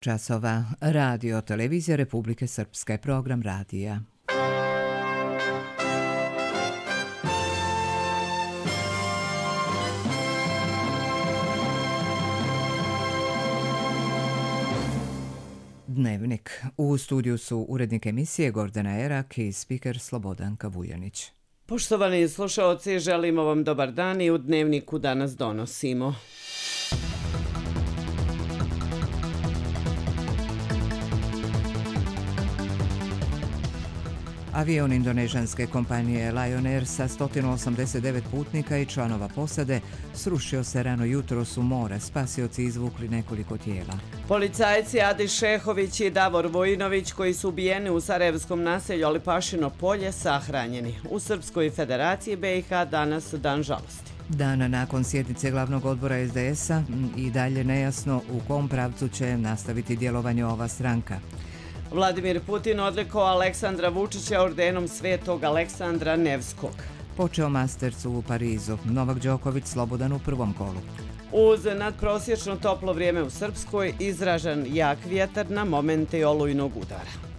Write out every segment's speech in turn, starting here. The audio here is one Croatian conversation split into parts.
časova. Radio Televizija Republike Srpske, program radija. Dnevnik. U studiju su urednik emisije Gordana Erak i spiker Slobodanka Vujanić. Poštovani slušaoci, želimo vam dobar dan i u Dnevniku danas donosimo. Avion indonežanske kompanije Lion Air sa 189 putnika i članova posade srušio se rano jutros u more. Spasioci izvukli nekoliko tijela. Policajci Adis Šehović i Davor Vojinović, koji su ubijeni u sarajevskom naselju Alipašino polje, sahranjeni. U Srpskoj federaciji BiH danas dan žalosti. Dan nakon sjednice glavnog odbora SDS-a i dalje nejasno u kom pravcu će nastaviti djelovanje ova stranka. Vladimir Putin odlikovao Aleksandra Vučića ordenom Svetog Aleksandra Nevskog. Počeo Masters u Parizu. Novak Đoković slobodan u prvom kolu. Uz nadprosječno toplo vrijeme u Srpskoj, izražen jak vjetar na momente olujnog udara.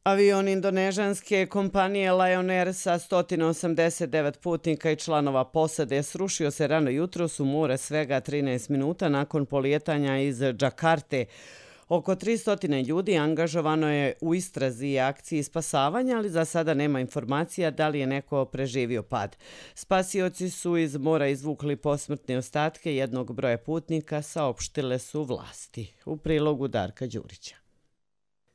Avion indonežanske kompanije Lion Air sa 189 putnika i članova posade srušio se rano jutros u more svega 13 minuta nakon polijetanja iz Džakarte. Oko 300 ljudi angažovano je u istrazi i akciji spasavanja, ali za sada nema informacija da li je neko preživio pad. Spasioci su iz mora izvukli posmrtne ostatke jednog broja putnika, saopštile su vlasti. U prilogu Darka Đurića.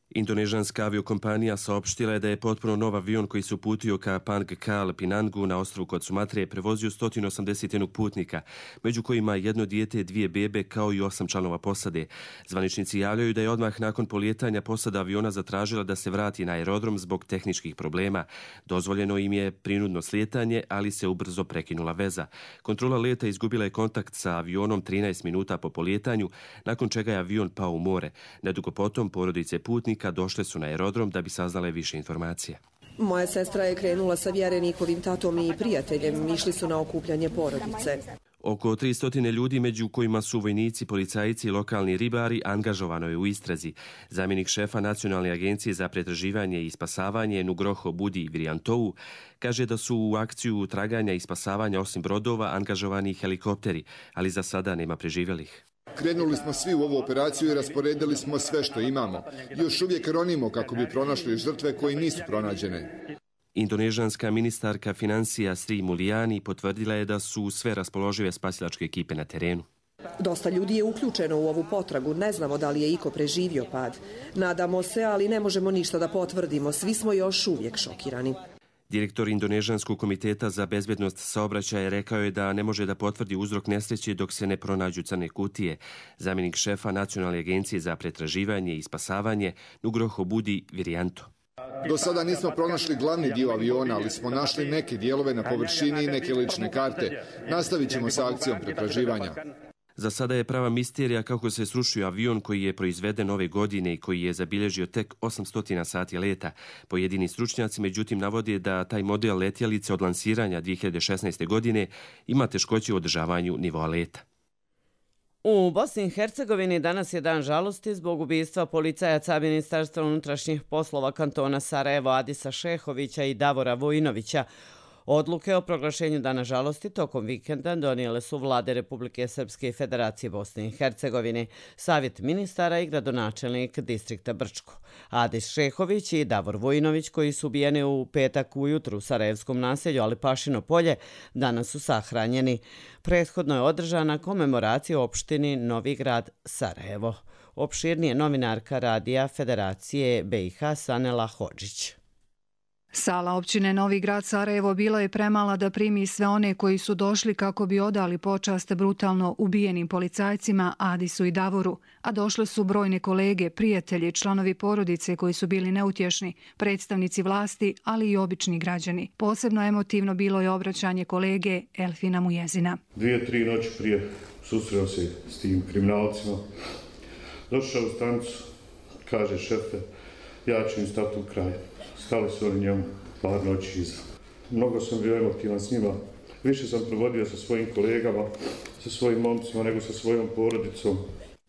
Indonežanska aviokompanija saopštila je da je potpuno nov avion koji se uputio ka Pangkal Pinangu na ostrvu kod Sumatre prevozio 181 putnika, među kojima jedno dijete, 2 bebe kao i 8 članova posade. Zvaničnici javljaju da je odmah nakon polijetanja posada aviona zatražila da se vrati na aerodrom zbog tehničkih problema. Dozvoljeno im je prinudno slijetanje, ali se ubrzo prekinula veza. Kontrola leta izgubila je kontakt sa avionom 13 minuta po polijetanju, nakon čega je avion pao u more. Nedugo potom porodice putnika došle su na aerodrom da bi saznale više informacija. Moja sestra je krenula sa Vjerenikovim tatom i prijateljem. Išli su na okupljanje porodice. Oko 300 ljudi, među kojima su vojnici, policajci i lokalni ribari, angažovano je u istrazi. Zamjenik šefa Nacionalne agencije za pretraživanje i spasavanje Nugroho Budi Vrijantovu kaže da su u akciju traganja i spasavanja osim brodova angažovani helikopteri, ali za sada nema preživjelih. Krenuli smo svi u ovu operaciju i rasporedili smo sve što imamo. Još uvijek ronimo kako bi pronašli žrtve koji nisu pronađene. Indonežanska ministarka financija Sri Mulyani potvrdila je da su sve raspoložive spasilačke ekipe na terenu. Dosta ljudi je uključeno u ovu potragu. Ne znamo da li je iko preživio pad. Nadamo se, ali ne možemo ništa da potvrdimo. Svi smo još uvijek šokirani. Direktor Indonežanskog komiteta za bezbjednost saobraćaja rekao je da ne može da potvrdi uzrok nesreće dok se ne pronađu crne kutije. Zamjenik šefa Nacionalne agencije za pretraživanje i spasavanje Nugroho Budi Vrijanto. Do sada nismo pronašli glavni dio aviona, ali smo našli neke dijelove na površini i neke lične karte. Nastavit ćemo sa akcijom pretraživanja. Za sada je prava misterija kako se srušio avion koji je proizveden ove godine i koji je zabilježio tek 800 sati leta. Pojedini stručnjaci međutim navode da taj model letjelice od lansiranja 2016. godine ima teškoće u održavanju nivoa leta. U Bosni i Hercegovini danas je dan žalosti zbog ubistva policajaca Ministarstva unutrašnjih poslova kantona Sarajevo Adisa Šehovića i Davora Vojinovića. Odluke o proglašenju dana žalosti tokom vikenda donijele su vlade Republike Srpske i Federacije Bosne i Hercegovine, savjet ministara i gradonačelnik distrikta Brčko. Adis Šehović i Davor Vojinović, koji su ubijeni u petak ujutru u sarajevskom naselju Alipašino polje, danas su sahranjeni. Prethodno je održana komemoracija u opštini Novi Grad Sarajevo. Opširnije novinarka radija Federacije BiH Sanela Hodžić. Sala općine Novi Grad Sarajevo bila je premala da primi sve one koji su došli kako bi odali počast brutalno ubijenim policajcima Adisu i Davoru, a došle su brojne kolege, prijatelji, članovi porodice koji su bili neutješni, predstavnici vlasti, ali i obični građani. Posebno emotivno bilo je obraćanje kolege Elfina Mujezina. 2-3 noći prije susreo se s tim kriminalcima. Došao u stanicu, kaže šefe, ja ću im stati u kraj. Stali su oni njemu par noći iza. Mnogo sam bio emotivan s njima, više sam provodio sa svojim kolegama, sa svojim momcima nego sa svojom porodicom.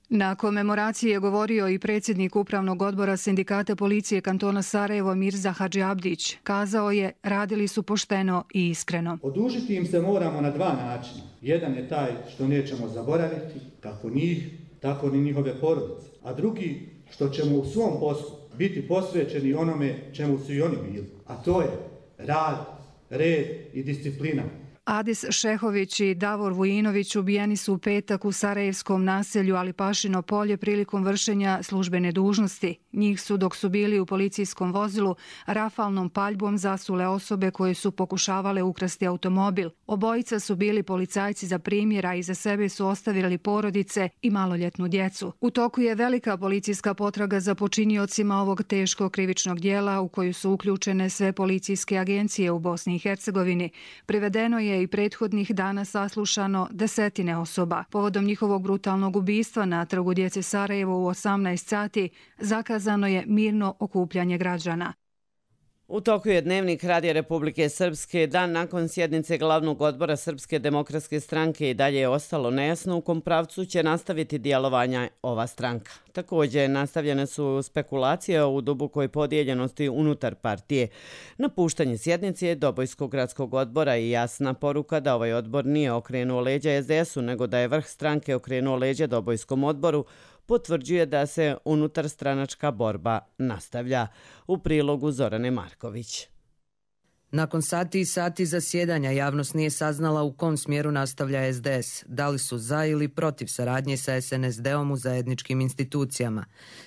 Na komemoraciji je govorio i predsjednik Upravnog odbora Sindikata policije kantona Sarajevo Mirza Hadžiabdić. Kazao je, radili su pošteno i iskreno. Odužiti im se moramo na dva načina. Jedan je taj što nećemo zaboraviti, kako njih, tako ni njihove porodice. A drugi, što ćemo u svom poslu biti posvećeni onome čemu su i oni bili. A to je rad, red i disciplina. Adis Šehović i Davor Vujinović ubijeni su u petak u sarajevskom naselju Alipašino polje prilikom vršenja službene dužnosti. Njih su, dok su bili u policijskom vozilu, rafalnom paljbom zasule osobe koje su pokušavale ukrasti automobil. Obojica su bili policajci za primjer, a iza sebe su ostavili porodice i maloljetnu djecu. U toku je velika policijska potraga za počiniocima ovog teškog krivičnog dijela u koju su uključene sve policijske agencije u Bosni i Hercegovini. Privedeno je i prethodnih dana saslušano desetine osoba. Povodom njihovog brutalnog ubistva na Trgu djece Sarajevo u 18 sati zakazano je mirno okupljanje građana. U toku je Dnevnik Radija Republike Srpske. Dan nakon sjednice glavnog odbora Srpske demokratske stranke i dalje je ostalo nejasno u kom pravcu će nastaviti djelovanja ova stranka. Također nastavljene su spekulacije o dubokoj podijeljenosti unutar partije. Napuštanje sjednice Dobojskog gradskog odbora i jasna poruka da ovaj odbor nije okrenuo leđa SDS-u, nego da je vrh stranke okrenuo leđa Dobojskom odboru, potvrđuje da se unutar stranačka borba nastavlja. U prilogu Zorane Marković. Nakon sati i sati zasjedanja javnost nije saznala u kom smjeru nastavlja SDS, da li su za ili protiv saradnje sa SNSD-om u zajedničkim institucijama.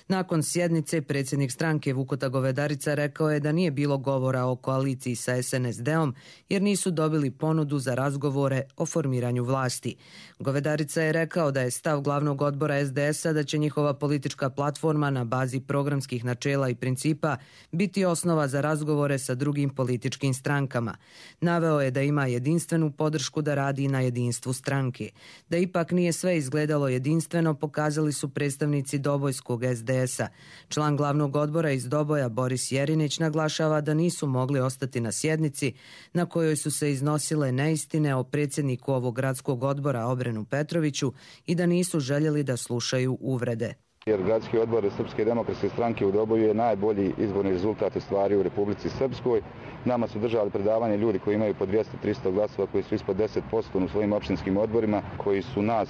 Nakon sjednice predsjednik stranke Vukota Govedarica rekao je da nije bilo govora o koaliciji sa SNSD-om jer nisu dobili ponudu za razgovore o formiranju vlasti. Govedarica je rekao da je stav glavnog odbora SDS-a da će njihova politička platforma na bazi programskih načela i principa biti osnova za razgovore sa drugim političkim strankama. Naveo je da ima jedinstvenu podršku da radi na jedinstvu stranke. Da ipak nije sve izgledalo jedinstveno, pokazali su predstavnici Dobojskog SDS-a. Član glavnog odbora iz Doboja Boris Jerinić naglašava da nisu mogli ostati na sjednici na kojoj su se iznosile neistine o predsjedniku ovog gradskog odbora Obrenu Petroviću i da nisu željeli da slušaju uvrede. Jer gradski odbor Srpske demokratske stranke u Doboju je najbolji izborni rezultat ostvario u Republici Srpskoj. Nama su držali predavanje ljudi koji imaju po 200-300 glasova, koji su ispod 10% u svojim opštinskim odborima, koji su nas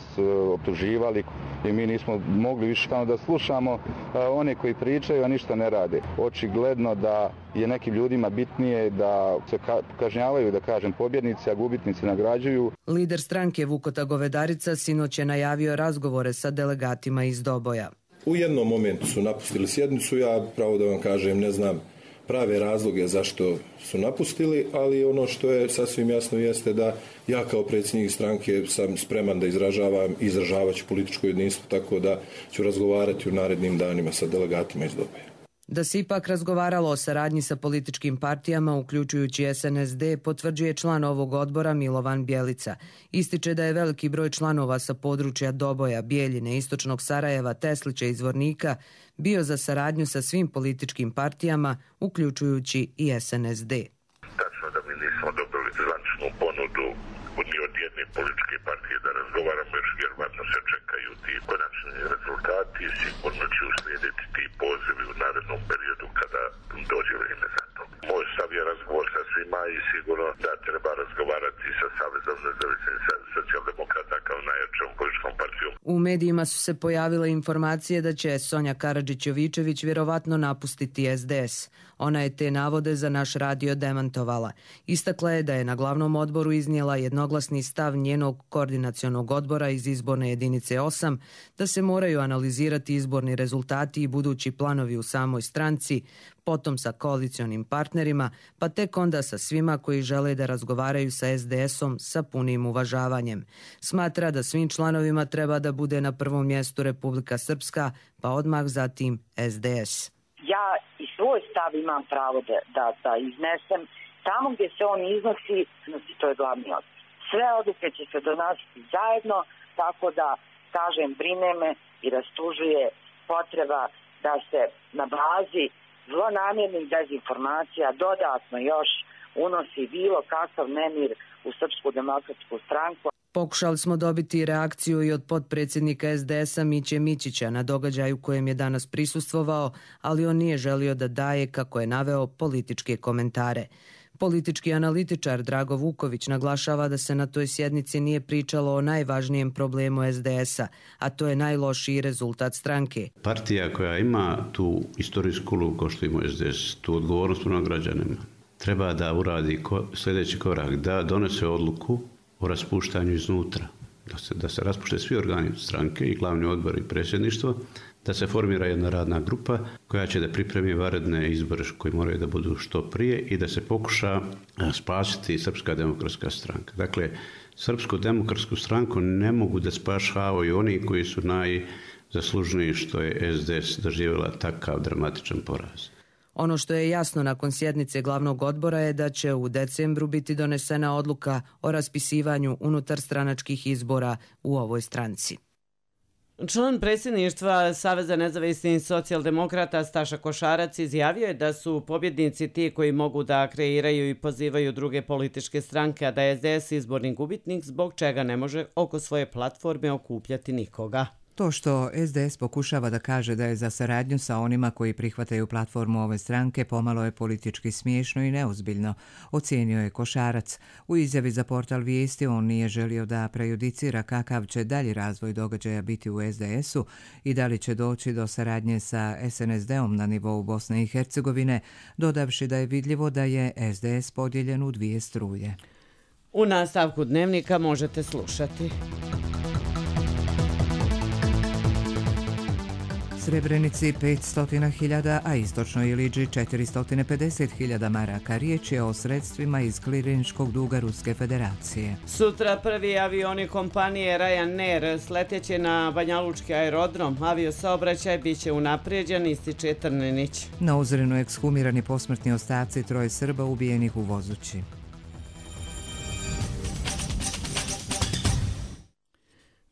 optuživali i mi nismo mogli više da slušamo one koji pričaju, a ništa ne rade. Očigledno da je nekim ljudima bitnije da se kažnjavaju, da kažem, pobjednici, a gubitnici nagrađuju. Lider stranke Vukota Govedarica sinoć je najavio razgovore sa delegatima iz Doboja. U jednom momentu su napustili sjednicu, ja pravo da vam kažem ne znam prave razloge zašto su napustili, ali ono što je sasvim jasno jeste da ja kao predsjednik stranke sam spreman da izražavat ću političko jedinstvo, tako da ću razgovarati u narednim danima sa delegatima iz Doboja. Da se ipak razgovaralo o saradnji sa političkim partijama, uključujući SNSD, potvrđuje član ovog odbora Milovan Bjelica. Ističe da je veliki broj članova sa područja Doboja, Bijeljine, Istočnog Sarajeva, Teslića i Zvornika bio za saradnju sa svim političkim partijama, uključujući i SNSD. Tačno da mi nismo dobili zvančnu ponudu ni od jedne političke partije da razgovaramo, još vjerovatno se čekaju ti konačni rezultati, sigurno će uslijediti ti pozivi u narednom periodu kada dođe vrijeme za to. Moj stav je razgovor sa svima i sigurno da treba razgovarati sa Savezom nezavisnih socijaldemokrata kao najjačom političkom partijom. U medijima su se pojavile informacije da će Sonja Karadžić-Jovičević vjerovatno napustiti SDS. Ona je te navode za naš radio demantovala. Istakla je da je na glavnom odboru iznijela jednoglasni stav njenog koordinacionog odbora iz izborne jedinice 8 da se moraju analizirati izborni rezultati i budući planovi u samoj stranci, potom sa koalicionim partnerima, pa tek onda sa svima koji žele da razgovaraju sa SDS-om sa punim uvažavanjem. Smatra da svim članovima treba da bude na prvom mjestu Republika Srpska, pa odmah zatim SDS. Ja i svoj stav imam pravo da iznesem. Tamo gdje se on iznosi, to je glavni odbor. Sve odluke će se donositi zajedno, tako da, kažem, brine me i rastužuje potreba da se na bazi zlonamjernih dezinformacija dodatno još unosi bilo kakav nemir u Srpsku demokratsku stranku. Pokušali smo dobiti reakciju i od potpredsjednika SDS-a Miće Mićića na događaju kojem je danas prisustvovao, ali on nije želio da daje, kako je naveo, političke komentare. Politički analitičar Drago Vuković naglašava da se na toj sjednici nije pričalo o najvažnijem problemu SDS-a, a to je najlošiji rezultat stranke. Partija koja ima tu istorijsku ulogu kao što ima SDS, tu odgovornost prema građanima, treba da uradi sljedeći korak, da donese odluku o raspuštanju iznutra, da se raspušte svi organi stranke i glavni odbor i predsjedništvo, da se formira jedna radna grupa koja će da pripremi vanredne izbore koji moraju da budu što prije i da se pokuša spasiti Srpska demokratska stranka. Dakle, Srpsku demokratsku stranku ne mogu da spašavaju oni koji su najzaslužniji što je SDS doživjela takav dramatičan poraz. Ono što je jasno nakon sjednice glavnog odbora je da će u decembru biti donesena odluka o raspisivanju unutarstranačkih izbora u ovoj stranci. Član predsjedništva Saveza nezavisnih socijaldemokrata Staša Košarac izjavio je da su pobjednici ti koji mogu da kreiraju i pozivaju druge političke stranke, a da je SDS izborni gubitnik, zbog čega ne može oko svoje platforme okupljati nikoga. To što SDS pokušava da kaže da je za saradnju sa onima koji prihvataju platformu ove stranke pomalo je politički smiješno i neozbiljno, ocijenio je Košarac. U izjavi za portal Vijesti on nije želio da prejudicira kakav će dalji razvoj događaja biti u SDS-u i da li će doći do saradnje sa SNSD-om na nivou Bosne i Hercegovine, dodavši da je vidljivo da je SDS podijeljen u dvije struje. U nastavku dnevnika možete slušati. Srebrenici 500.000, a istočnoj Iliđi 450.000 maraka. Riječ je o sredstvima iz klirinškog duga Ruske federacije. Sutra prvi avioni kompanije Ryanair sletjeće na Banjalučki aerodrom. Aviosaobraćaj biće unaprijeđen, ističe Trnenić. Na Ozrenu ekshumirani posmrtni ostaci troje Srba ubijenih u Vozući.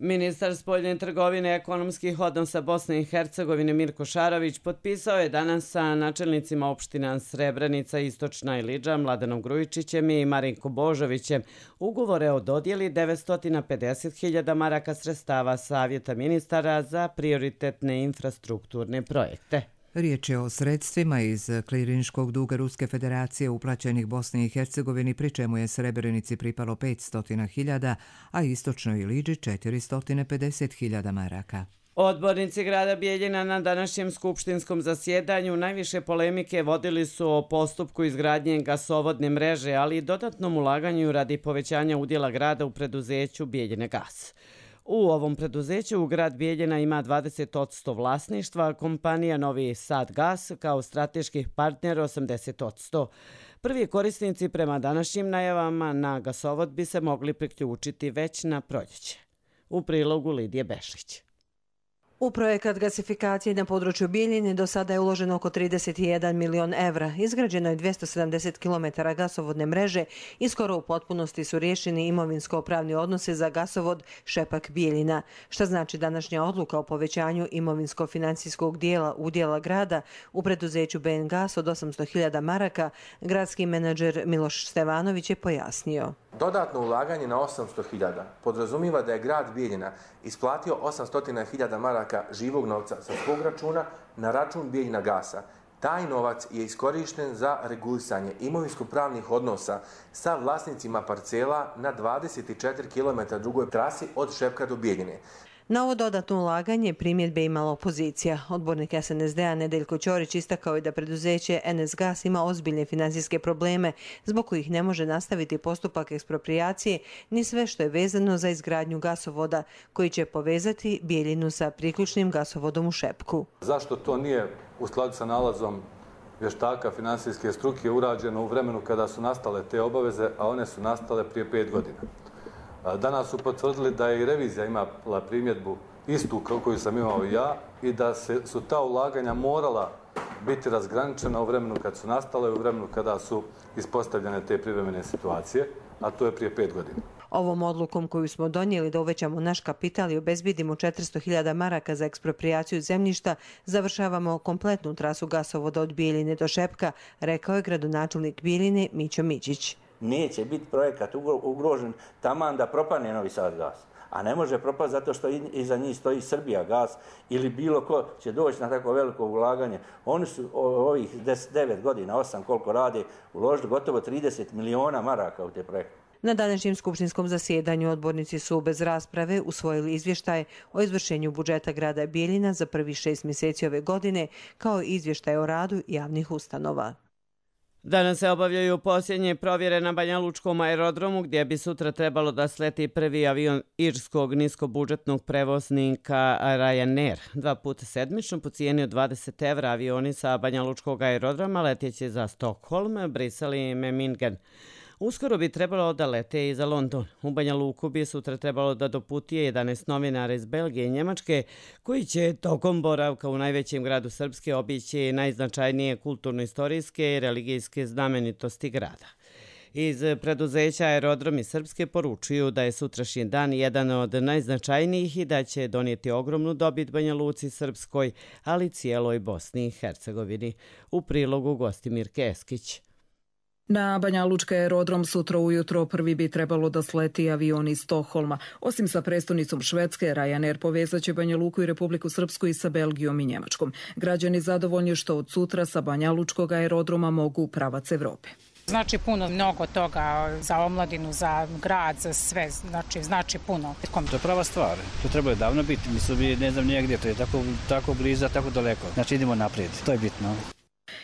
Ministar spoljne trgovine i ekonomskih odnosa Bosne i Hercegovine Mirko Šarović potpisao je danas sa načelnicima opština Srebrenica, Istočna Iliđa, Mladenom Grujičićem i Marinko Božovićem ugovore o dodjeli 950.000 maraka sredstava Savjeta ministara za prioritetne infrastrukturne projekte. Riječ je o sredstvima iz klirinškog duga Ruske federacije uplaćenih Bosni i Hercegovini, pri čemu je Srebrenici pripalo 500.000, a Istočnoj Iliđi 450.000 maraka. Odbornici grada Bijeljina na današnjem skupštinskom zasjedanju najviše polemike vodili su o postupku izgradnje gasovodne mreže, ali i dodatnom ulaganju radi povećanja udjela grada u preduzeću Bijeljine gas. U ovom preduzeću grad Bijeljina ima 20% vlasništva, kompanija Novi Sad Gas kao strateški partner 80%. Prvi korisnici prema današnjim najavama na gasovod bi se mogli priključiti već na proljeće. U prilogu Lidije Bešlić. U projekat gasifikacije na području Bijeljine do sada je uloženo oko 31 milion evra. Izgrađeno je 270 km gasovodne mreže i skoro u potpunosti su riješeni imovinsko-pravni odnose za gasovod Šepak Bijeljina. Šta znači današnja odluka o povećanju imovinsko-financijskog dijela udjela grada u preduzeću BN Gas od 800.000 maraka, gradski menadžer Miloš Stevanović je pojasnio. Dodatno ulaganje na 800.000 podrazumiva da je grad Bijeljina isplatio 800.000 maraka živog novca sa svog računa na račun Bijeljina Gasa. Taj novac je iskorišten za regulisanje imovinsko-pravnih odnosa sa vlasnicima parcela na 24 km drugoj trasi od Šepka do Bijeljine. Na ovo dodatno ulaganje primjedbe imala opozicija. Odbornik SNSD-a Nedeljko Ćorić istakao je da preduzeće NS Gas ima ozbiljne financijske probleme zbog kojih ne može nastaviti postupak eksproprijacije ni sve što je vezano za izgradnju gasovoda koji će povezati Bijeljinu sa priključnim gasovodom u Šepku. Zašto to nije u skladu sa nalazom vještaka finansijske struke urađeno u vremenu kada su nastale te obaveze, a one su nastale prije 5 godina? Danas su potvrdili da je i revizija imala primjedbu istu koju sam imao i ja i da su ta ulaganja morala biti razgraničena u vremenu kad su nastale i u vremenu kada su ispostavljene te privremene situacije, a to je prije 5 godina. Ovom odlukom koju smo donijeli da uvećamo naš kapital i obezbidimo 400.000 maraka za ekspropriaciju zemljišta, završavamo kompletnu trasu gasovoda od Bijeljine do Šepka, rekao je gradonačelnik Bijeljine Mićo Mićić. neće biti projekat ugrožen taman da propane Novi Sad gas. A ne može propasti zato što iza njih stoji Srbija gas ili bilo ko će doći na tako veliko ulaganje. Oni su ovih 9 godina, 8 koliko rade, uložili gotovo 30 miliona maraka u te projekte. Na današnjem skupštinskom zasjedanju odbornici su bez rasprave usvojili izvještaj o izvršenju budžeta grada Bijeljina za prvih 6 mjeseci ove godine, kao i izvještaj o radu javnih ustanova. Danas se obavljaju posljednje provjere na Banjalučkom aerodromu, gdje bi sutra trebalo da sleti prvi avion irskog niskobudžetnog prevoznika Ryanair. 2 puta sedmično po cijeni od 20 evra avioni sa Banjalučkog aerodroma letjeće za Stockholm, Brisel i Memmingen. Uskoro bi trebalo da lete i za London. U Banja Luku bi sutra trebalo da doputuje 11 novinara iz Belgije i Njemačke, koji će tokom boravka u najvećem gradu Srpske obići najznačajnije kulturno-istorijske i religijske znamenitosti grada. Iz preduzeća Aerodromi Srpske poručuju da je sutrašnji dan jedan od najznačajnijih i da će donijeti ogromnu dobit Banja Luci Srpskoj, ali cijeloj Bosni i Hercegovini. U prilogu Gostimir Keskić. Na Banjalučki aerodrom sutra ujutro prvi bi trebalo da sleti avion iz Stokholma. Osim sa prestonicom Švedske, Ryanair povezat će Banja Luku i Republiku Srpsku i sa Belgijom i Njemačkom. Građani zadovoljni što od sutra sa Banjalučkog aerodroma mogu u pravac Evrope. Znači mnogo toga za omladinu, za grad, za sve, znači puno. To je prava stvar, to treba je davno biti, mislim, ne znam nijegdje, to je tako bliza, tako daleko. Znači idemo naprijed, to je bitno.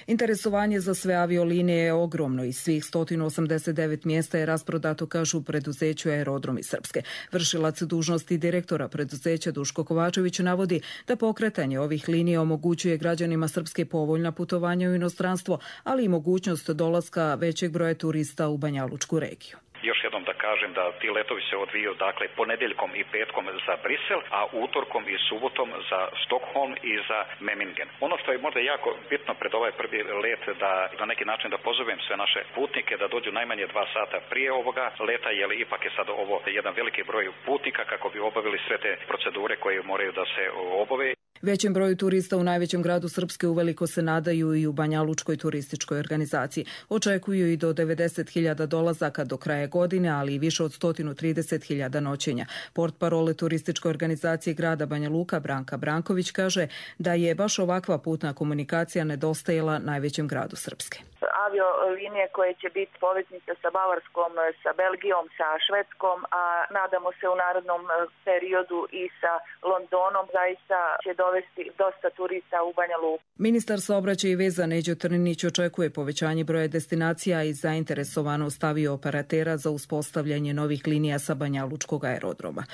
Interesovanje za sve aviolinije je ogromno i svih 189 mjesta je rasprodato, kažu u preduzeću Aerodromi Srpske. Vršilac dužnosti direktora preduzeća Duško Kovačević navodi da pokretanje ovih linija omogućuje građanima Srpske povoljna putovanja u inostranstvo, ali i mogućnost dolaska većeg broja turista u Banjalučku regiju. Još jednom da kažem da ti letovi se odvijaju ponedjeljkom i petkom za Brisel, a utorkom i subotom za Stockholm i za Memmingen. Ono što je možda jako bitno pred ovaj prvi let da na neki način da pozovem sve naše putnike da dođu najmanje 2 sata prije ovoga leta, jer ipak je sad ovo jedan veliki broj putnika kako bi obavili sve te procedure koje moraju da se obave. Većem broju turista u najvećem gradu Srpske uveliko se nadaju i u Banjalučkoj turističkoj organizaciji. Očekuju i do 90.000 dolazaka do kraja godine, ali i više od 130.000 noćenja. Portparole turističke organizacije grada Banja Luka Branka Branković kaže da je baš ovakva putna komunikacija nedostajala najvećem gradu Srpske. Aviolinije koje će biti poveznice sa Bavarskom, sa Belgijom, sa Švedskom, a nadamo se u narednom periodu i sa Londonom, zaista će dovesti dosta turista u Banja Luku. Ministar saobraćaja i veza Neđo Trninić očekuje povećanje broja destinacija i zainteresovanost avio-operatera za uspostavljanje novih linija sa Banjalučkog aerodroma.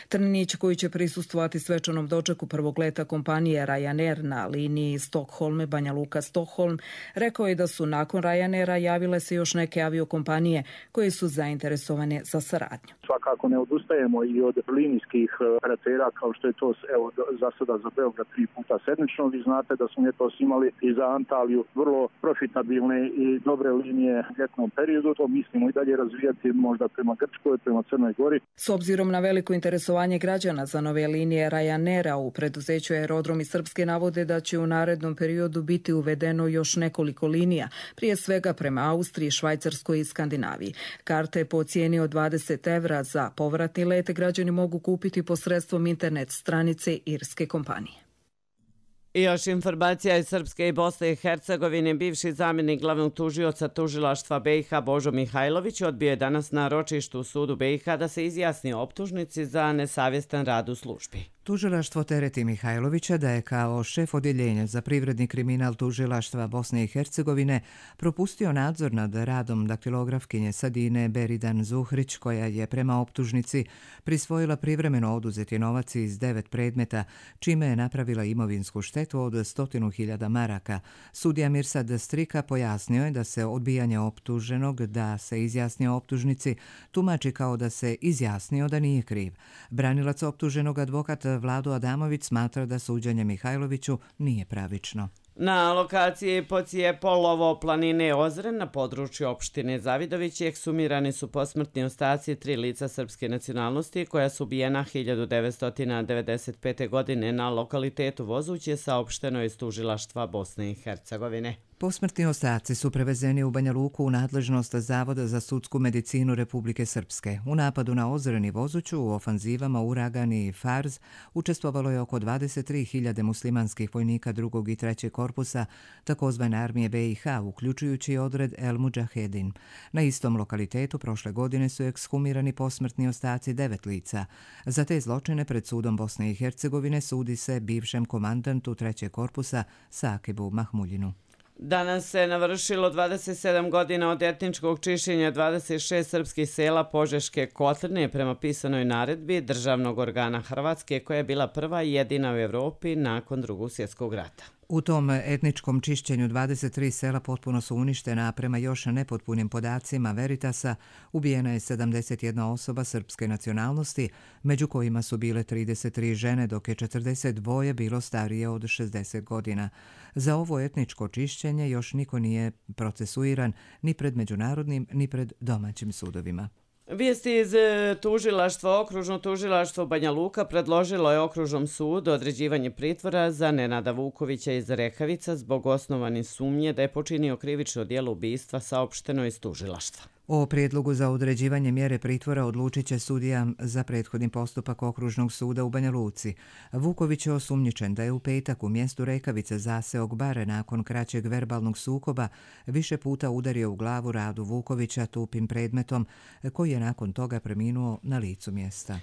Trninić, koji će prisustvovati svečanom dočeku prvog leta kompanije Ryanair na liniji Stockholm-Banja Luka-Stockholm, rekao je da su nakon Ryanaira javile se još neke aviokompanije koje su zainteresovane za saradnju. Svakako ne odustajemo i od linijskih operatera kao što je to za sada za Beograd 3 puta sedmično. Vi znate da smo ljetos imali i za Antaliju vrlo profitabilne i dobre linije u ljetnom periodu. To mislimo i dalje razvijati možda prema Grčkoj, prema Crnoj Gori. S obzirom na veliko interesovanje građana za nove linije Ryanaira u preduzeću Aerodromi Srpske navode da će u narednom periodu biti uvedeno još nekoliko linija, prije svega prema Austriji, Švajcarskoj i Skandinaviji. Karte po cijeni od 20 evra za povratni let građani mogu kupiti posredstvom internet stranice irske kompanije. I još informacija iz Srpske i Bosne i Hercegovine. Bivši zamjenik glavnog tužioca tužilaštva BiH Božo Mihajlović odbio je danas na ročištu u sudu BiH da se izjasni o optužnici za nesavjestan rad u službi. Tužilaštvo tereti Mihajlovića da je kao šef odjeljenja za privredni kriminal tužilaštva Bosne i Hercegovine propustio nadzor nad radom daktilografkinje Sadine Beridan Zuhrić, koja je prema optužnici prisvojila privremeno oduzeti novac iz 9 predmeta, čime je napravila imovinsku štetu od 100.000 maraka. Sudija Mirsad Strika pojasnio je da se odbijanje optuženog da se izjasni o optužnici tumači kao da se izjasnio da nije kriv. Branilac optuženog advokat Vlado Adamović smatra da suđenje Mihajloviću nije pravično. Na lokaciji Pocijepolovo planine Ozren na području opštine Zavidović ekshumirani su posmrtni ostaci 3 lica srpske nacionalnosti koja su ubijena 1995. godine na lokalitetu Vozuće, saopšteno iz tužilaštva Bosne i Hercegovine. Posmrtni ostaci su prevezeni u Banja Luku u nadležnost Zavoda za sudsku medicinu Republike Srpske. U napadu na Ozreni Vozuću u ofanzivama Uragan i Farz učestvovalo je oko 23.000 muslimanskih vojnika 2. i 3. korpusa takozvane armije BiH, uključujući odred El Mudžahedin. Na istom lokalitetu prošle godine su ekshumirani posmrtni ostaci 9 lica. Za te zločine pred sudom Bosne i Hercegovine sudi se bivšem komandantu 3. korpusa Sakibu Mahmuljinu. Danas se navršilo 27 godina od etničkog čišćenja 26 srpskih sela Požeške kotline prema pisanoj naredbi državnog organa Hrvatske koja je bila prva i jedina u Evropi nakon Drugog svjetskog rata. U tom etničkom čišćenju 23 sela potpuno su uništena, a prema još nepotpunim podacima Veritasa ubijena je 71 osoba srpske nacionalnosti, među kojima su bile 33 žene, dok je 42 bilo starije od 60 godina. Za ovo etničko čišćenje još niko nije procesuiran ni pred međunarodnim ni pred domaćim sudovima. Vijesti iz tužilaštva. Okružno tužilaštvo Banja Luka predložilo je okružnom sudu određivanje pritvora za Nenada Vukovića iz Rekavica zbog osnovane sumnje da je počinio krivično djelo ubistva, saopšteno iz tužilaštva. O prijedlogu za određivanje mjere pritvora odlučit će sudija za prethodni postupak Okružnog suda u Banja Luci. Vuković je osumnjičen da je u petak u mjestu Rekavice zaseog bare nakon kraćeg verbalnog sukoba više puta udario u glavu Radu Vukovića tupim predmetom koji je nakon toga preminuo na licu mjesta.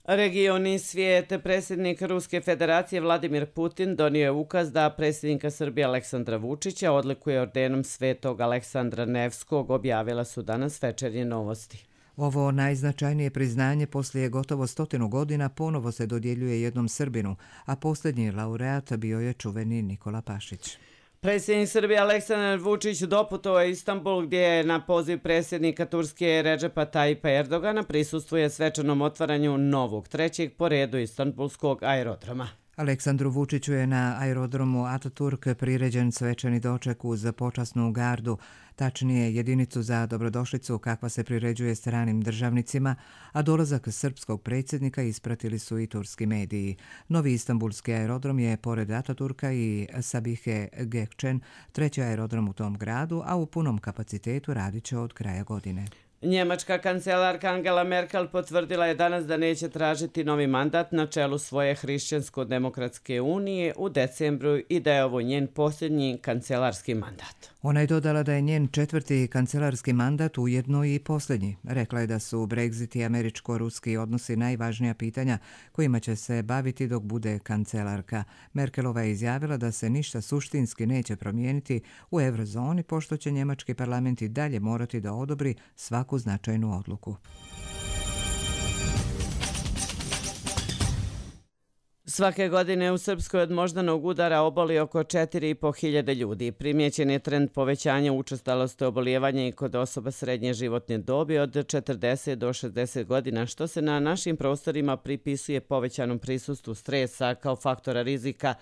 Region i svijet. Predsjednik Ruske federacije Vladimir Putin donio je ukaz da predsjednika Srbije Aleksandra Vučića odlikuje ordenom Svetog Aleksandra Nevskog, objavila su danas Večernje novosti. Ovo najznačajnije priznanje poslije gotovo 100 godina ponovo se dodjeljuje jednom Srbinu, a posljednji laureat bio je čuveni Nikola Pašić. Predsjednik Srbije Aleksandar Vučić doputovao je Istanbul gdje je na poziv predsjednika Turske Redžepa Tajipa Erdogana prisustvuje svečanom otvaranju novog, 3. po redu istanbulskog aerodroma. Aleksandru Vučiću je na aerodromu Ataturk priređen svečani doček uz počasnu gardu, tačnije jedinicu za dobrodošlicu kakva se priređuje stranim državnicima, a dolazak srpskog predsjednika ispratili su i turski mediji. Novi istanbulski aerodrom je pored Ataturka i Sabihe Gökçen 3. aerodrom u tom gradu, a u punom kapacitetu radit će od kraja godine. Njemačka kancelarka Angela Merkel potvrdila je danas da neće tražiti novi mandat na čelu svoje Hrišćansko-demokratske unije u decembru i da je ovo njen posljednji kancelarski mandat. Ona je dodala da je njen 4. kancelarski mandat ujedno i posljednji. Rekla je da su Brexit i američko-ruski odnosi najvažnija pitanja kojima će se baviti dok bude kancelarka. Merkelova je izjavila da se ništa suštinski neće promijeniti u eurozoni, pošto će njemački parlament i dalje morati da odobri svaku značajnu odluku. Svake godine u Srpskoj od moždanog udara oboli oko 4.500 ljudi. Primijećen je trend povećanja učestalosti obolijevanja i kod osoba srednje životne dobi od 40 do 60 godina, što se na našim prostorima pripisuje povećanom prisustvu stresa kao faktora rizika.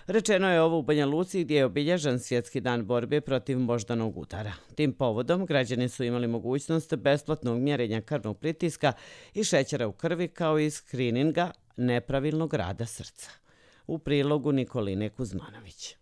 Rečeno je ovo u Banja Luci gdje je obilježen Svjetski dan borbe protiv moždanog udara. Tim povodom građani su imali mogućnost besplatnog mjerenja krvnog pritiska i šećera u krvi kao i skrininga nepravilnog rada srca. U prilogu Nikoline Kuzmanović.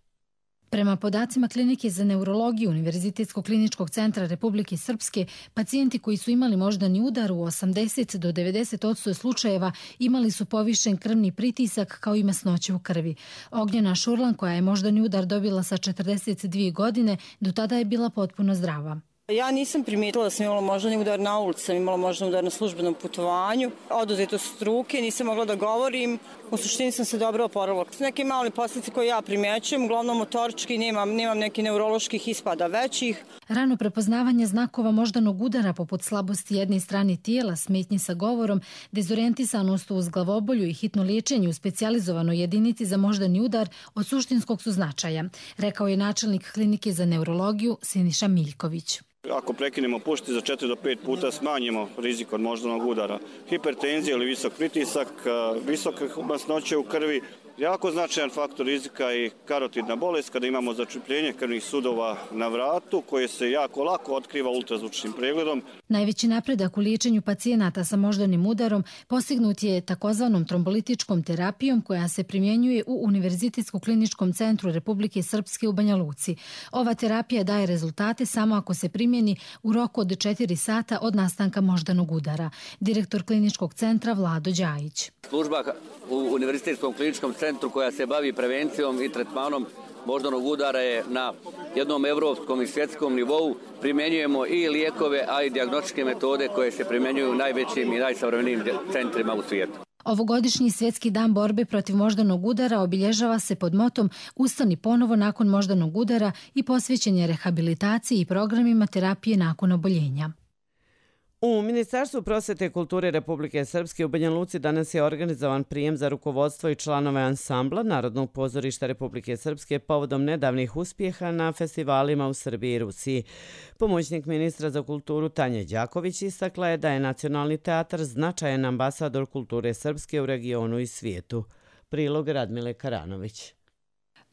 Prema podacima Klinike za neurologiju Univerzitetskog kliničkog centra Republike Srpske, pacijenti koji su imali moždani udar u 80 do 90% slučajeva imali su povišen krvni pritisak kao i masnoće u krvi. Ognjena Šurlan, koja je moždani udar dobila sa 42 godine, do tada je bila potpuno zdrava. Ja nisam primijetila da sam imala moždani udar na ulici, sam imala moždani udar na službenom putovanju, oduzeto struke, nisam mogla da govorim, u suštini sam se dobro oporavila. Neke mali posljedice koje ja primjećujem, uglavnom motorički, nemam nekih neuroloških ispada većih. Rano prepoznavanje znakova moždanog udara poput slabosti jedne strane tijela, smetnje sa govorom, dezorientisanost uz glavobolju i hitno liječenje u specijalizovanoj jedinici za moždani udar od suštinskog su značaja, rekao je načelnik Klinike za neurologiju Siniša Miljković. Ako prekinemo pušiti za 4 do 5 puta smanjimo rizik od moždanog udara. Hipertenzija ili visok pritisak, visoke masnoće u krvi, jako značajan faktor rizika i karotidna bolest kada imamo začepljenje krvnih sudova na vratu koje se jako lako otkriva ultrazvučnim pregledom. Najveći napredak u liječenju pacijenata sa moždanim udarom postignut je takozvanom trombolitičkom terapijom koja se primjenjuje u Univerzitetskom-kliničkom centru Republike Srpske u Banja Luci. Ova terapija daje rezultate samo ako se primjeni u roku od 4 sata od nastanka moždanog udara. Direktor kliničkog centra Vlado Đajić. Služba u Univerzitetskom kliničkom centru koja se bavi prevencijom i tretmanom moždanog udara je na jednom evropskom i svjetskom nivou. Primjenjujemo i lijekove, a i dijagnostičke metode koje se primjenjuju u najvećim i najsavremenijim centrima u svijetu. Ovogodišnji svjetski dan borbe protiv moždanog udara obilježava se pod motom Ustani ponovo nakon moždanog udara i posvećen je rehabilitaciji i programima terapije nakon oboljenja. U Ministarstvu prosvete i kulture Republike Srpske u Banja Luci danas je organizovan prijem za rukovodstvo i članove ansambla Narodnog pozorišta Republike Srpske povodom nedavnih uspjeha na festivalima u Srbiji i Rusiji. Pomoćnik ministra za kulturu Tanja Đaković istakla je da je Nacionalni teatar značajan ambasador kulture srpske u regionu i svijetu. Prilog Radmile Karanović.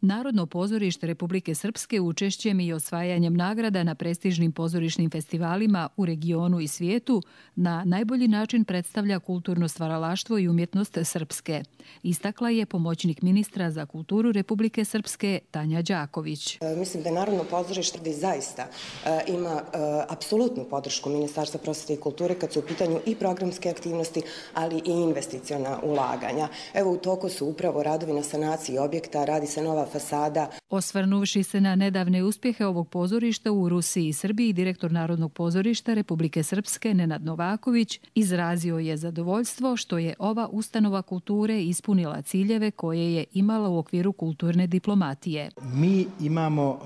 Narodno pozorište Republike Srpske učešćem i osvajanjem nagrada na prestižnim pozorišnim festivalima u regionu i svijetu na najbolji način predstavlja kulturno stvaralaštvo i umjetnost Srpske. Istakla je pomoćnik ministra za kulturu Republike Srpske Tanja Đaković. Mislim da je Narodno pozorište zaista ima apsolutnu podršku Ministarstva prosvete i kulture kad su u pitanju i programske aktivnosti, ali i investiciona ulaganja. Evo u toku su upravo radovi na sanaciji objekta, radi se nova fasada. Osvrnuvši se na nedavne uspjehe ovog pozorišta u Rusiji i Srbiji, direktor Narodnog pozorišta Republike Srpske Nenad Novaković izrazio je zadovoljstvo što je ova ustanova kulture ispunila ciljeve koje je imala u okviru kulturne diplomatije. Mi imamo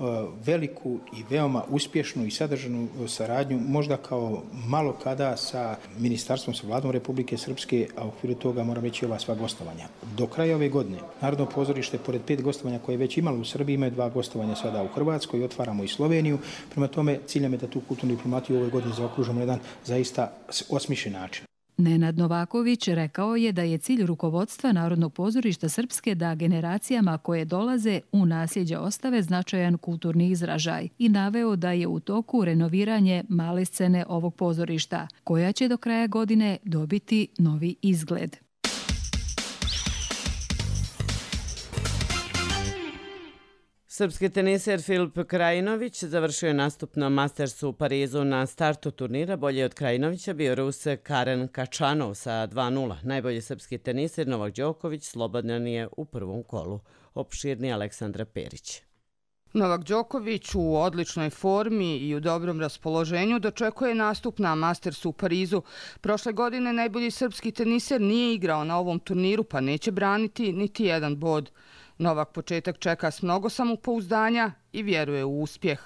veliku i veoma uspješnu i sadržanu saradnju, možda kao malo kada sa ministarstvom, sa vladom Republike Srpske, a u okviru toga moram reći ova sva gostovanja. Do kraja ove godine Narodno pozorište, pored 5 gostovanja koje je već imalo u Srbiji, ima 2 gostovanja sada u Hrvatskoj, otvaramo i Sloveniju. Prema tome, cilj nam je da tu kulturnu diplomatiju u ovoj godini zaokružimo na jedan zaista osmišljen način. Nenad Novaković rekao je da je cilj rukovodstva Narodnog pozorišta Srpske da generacijama koje dolaze u nasljeđe ostave značajan kulturni izražaj i naveo da je u toku renoviranje male scene ovog pozorišta, koja će do kraja godine dobiti novi izgled. Srpski teniser Filip Krajinović završio je nastup na Mastersu u Parizu. Na startu turnira bolje od Krajinovića bio Rus Karen Kačanov sa 2:0. Najbolji srpski teniser Novak Đoković slobodan je u prvom kolu. Opširni Aleksandra Perić. Novak Đoković u odličnoj formi i u dobrom raspoloženju dočekuje nastup na Mastersu u Parizu. Prošle godine najbolji srpski teniser nije igrao na ovom turniru pa neće braniti niti jedan bod. Novak početak čeka s mnogo samopouzdanja i vjeruje u uspjeh.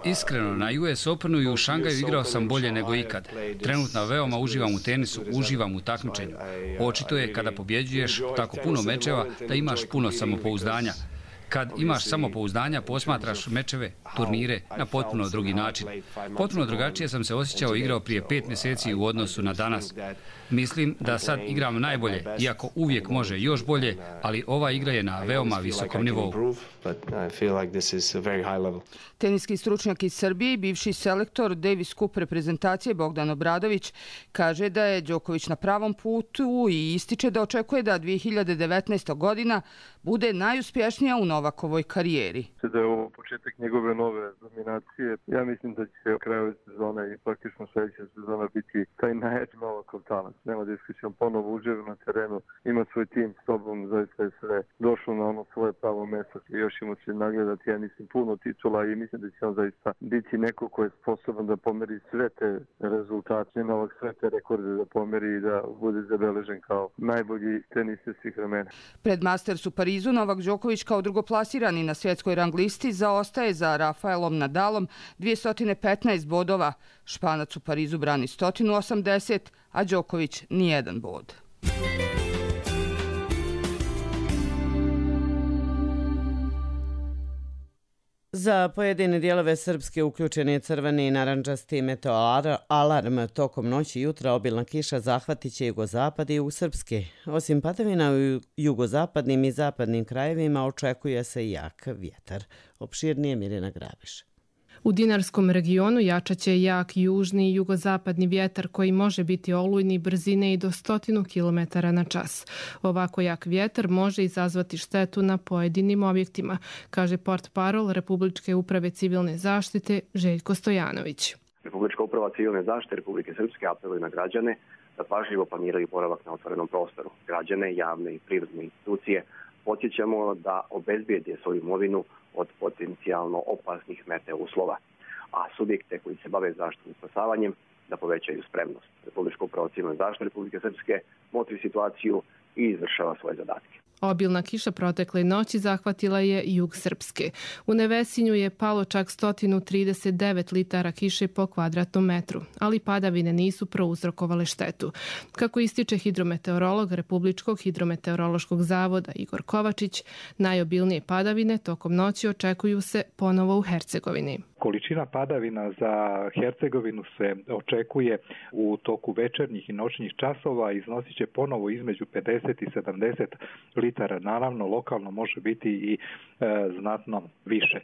Iskreno, na US Openu i u Šangaju igrao sam bolje nego ikad. Trenutno veoma uživam u tenisu, uživam u takmičenju. Očito je kada pobjeđuješ tako puno mečeva da imaš puno samopouzdanja. Kad imaš samopouzdanja, posmatraš mečeve, turnire na potpuno drugi način. Potpuno drugačije sam se osjećao i igrao prije 5 mjeseci u odnosu na danas. Mislim da sad igram najbolje, iako uvijek može još bolje, ali ova igra je na veoma visokom nivou. Teniski stručnjak iz Srbije i bivši selektor Davis Cup reprezentacije Bogdan Obradović kaže da je Đoković na pravom putu i ističe da očekuje da 2019. godina bude najuspješnija u Novakovoj karijeri. Da je ovo početak njegove nove dominacije. Ja mislim da će u kraju sezone i praktično sljedeća sezona biti taj najjači Novakov talent. Nema diskusijom, ponovo uživa na terenu, ima svoj tim s sobom, zaista je sve došlo na ono svoje pravo mjesto i još ima se nagledati, ja mislim, puno titula i mislim da će on zaista biti neko ko je sposoban da pomeri sve te rezultate, Novak sve te rekorde da pomeri i da bude zabeležen kao najbolji teniser svih vremena. Pred Masters u Parizu Novak Đoković kao drugoplasirani na svjetskoj rang listi zaostaje za Rafaelom Nadalom 215 bodova. Španac u Parizu brani 180, a Đoković nijedan bod. Za pojedine dijelove Srpske uključen je crveni i narandžasti meteoalarm. Tokom noći i jutra obilna kiša zahvatit će jugozapad i jug Srpske. Osim padavina u jugozapadnim i zapadnim krajevima očekuje se jak vjetar. Opširnije Mirjana Grabiš. U Dinarskom regionu jačaće jak južni i jugozapadni vjetar koji može biti olujni brzine i do 100 km/h. Ovako jak vjetar može izazvati štetu na pojedinim objektima, kaže portparol Republičke uprave civilne zaštite Željko Stojanović. Republička uprava civilne zaštite Republike Srpske apeluje na građane da pažljivo planiraju boravak na otvorenom prostoru. Građane, javne i privredne institucije podsjećamo da obezbijede svoju imovinu od potencijalno opasnih meteo uslova, a subjekte koji se bave zaštitom i spasavanjem da povećaju spremnost. Republička uprava civilne zaštite Republike Srpske motri situaciju i izvršava svoje zadatke. Obilna kiša protekle noći zahvatila je jug Srpske. U Nevesinju je palo čak 139 litara kiše po kvadratnom metru, ali padavine nisu prouzrokovale štetu. Kako ističe hidrometeorolog Republičkog hidrometeorološkog zavoda Igor Kovačić, najobilnije padavine tokom noći očekuju se ponovo u Hercegovini. Količina padavina za Hercegovinu se očekuje u toku večernjih i noćnih časova, iznosit će ponovo između 50 i 70 litara. Naravno, lokalno može biti i znatno više.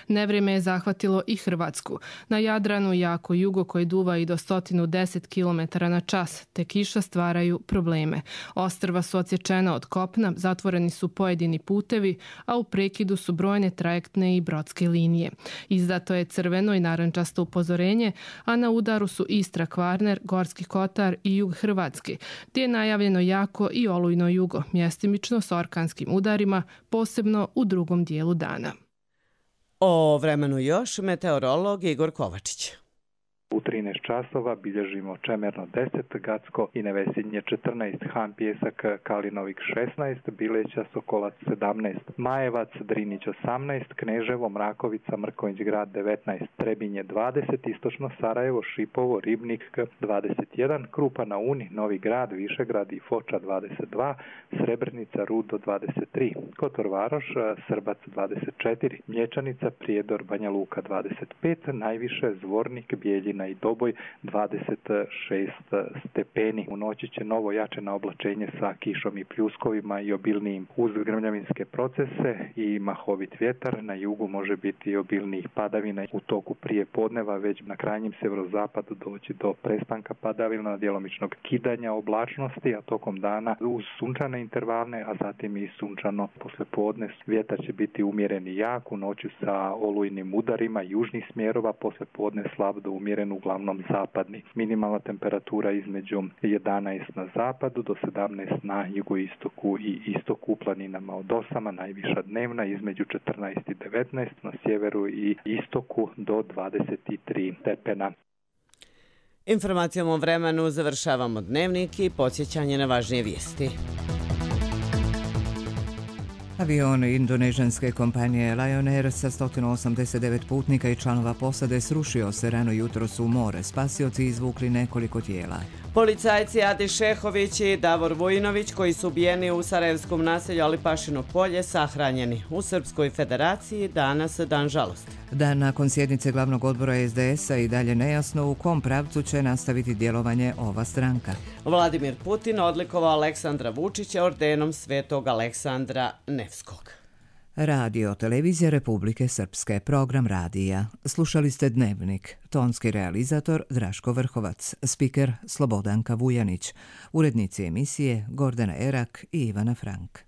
Nevrijeme je zahvatilo i Hrvatsku. Na Jadranu jako jugo koji duva i do 110 km/h, te kiša stvaraju probleme. Ostrva su odsječena od kopna, zatvoreni su pojedini putevi, a u prekidu su brojne trajektne i brodske linije. Izdato je crveno i narandžasto upozorenje, a na udaru su Istra, Kvarner, Gorski Kotar i jug Hrvatske, gdje je najavljeno jako i olujno jugo, mjestimično s orkanskim udarima, posebno u drugom dijelu dana. O vremenu još meteorolog Igor Kovačić. U 13 časova bilježimo Čemerno 10, Gacko i Nevesinje 14, Han Pjesak, Kalinovik 16, Bileća, Sokolac 17, Majevac, Drinić 18, Kneževo, Mrakovica, Mrkonjić grad 19, Trebinje 20, Istočno Sarajevo, Šipovo, Ribnik 21, Krupa na Uni, Novi grad, Višegrad i Foča 22, Srebrnica, Rudo 23, Kotor Varoš, Srbac 24, Mlječanica, Prijedor, Banja Luka 25, najviše Zvornik, Bijeljina i Doboj 26 stepeni. U noći će novo jačeno oblačenje sa kišom i pljuskovima i obilnijim uz grmljavinske procese i mahovit vjetar. Na jugu može biti i obilnijih padavina. U toku prije podneva već na krajnjem severozapadu doći do prestanka padavina, djelomičnog kidanja oblačnosti, a tokom dana uz sunčane intervalne, a zatim i sunčano poslijepodne. Vjetar će biti umjeren i jak, u noći sa olujnim udarima južnih smjerova, poslijepodne slab do umjeren uglavnom zapadni. Minimalna temperatura između 11 na zapadu do 17 na jugoistoku i istoku, u planinama od 8, najviša dnevna između 14 i 19, na sjeveru i istoku do 23 stepena. Informacijom o vremenu završavamo dnevnik i podsjećanje na važnije vijesti. Avion indonežanske kompanije Lion Air sa 189 putnika i članova posade srušio se rano jutros u more. Spasioci izvukli nekoliko tijela. Policajci Adi Šehović i Davor Vojinović, koji su ubijeni u sarajevskom naselju Alipašino polje, sahranjeni. U Srpskoj federaciji danas dan žalosti. Dan nakon sjednice glavnog odbora SDS-a i dalje nejasno u kom pravcu će nastaviti djelovanje ova stranka. Vladimir Putin odlikovao Aleksandra Vučića ordenom Svetog Aleksandra Nevskog. Radio Televizija Republike Srpske, program radija. Slušali ste Dnevnik. Tonski realizator Draško Vrhovac, spiker Slobodanka Vujanić, urednici emisije Gordana Erak i Ivana Frank.